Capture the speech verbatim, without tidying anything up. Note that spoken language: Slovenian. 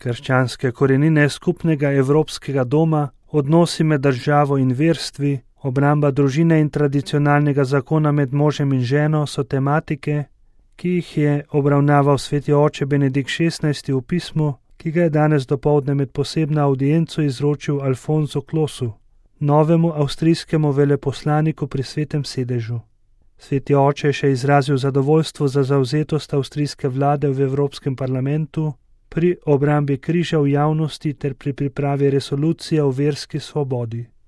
krščanske korenine skupnega evropskega doma, odnosi med državo in verstvi, obramba družine in tradicionalnega zakona med možem in ženo so tematike, ki jih je obravnaval sveti oče Benedikt šestnajsti v pismu, ki ga je danes dopoldne med posebno audienco izročil Alfonsu Klosu, novemu avstrijskemu veleposlaniku pri svetem sedežu. Sveti oče je še izrazil zadovoljstvo za zavzetost avstrijske vlade v Evropskem parlamentu pri obrambi križa v javnosti ter pri pripravi resolucije o verski svobodi.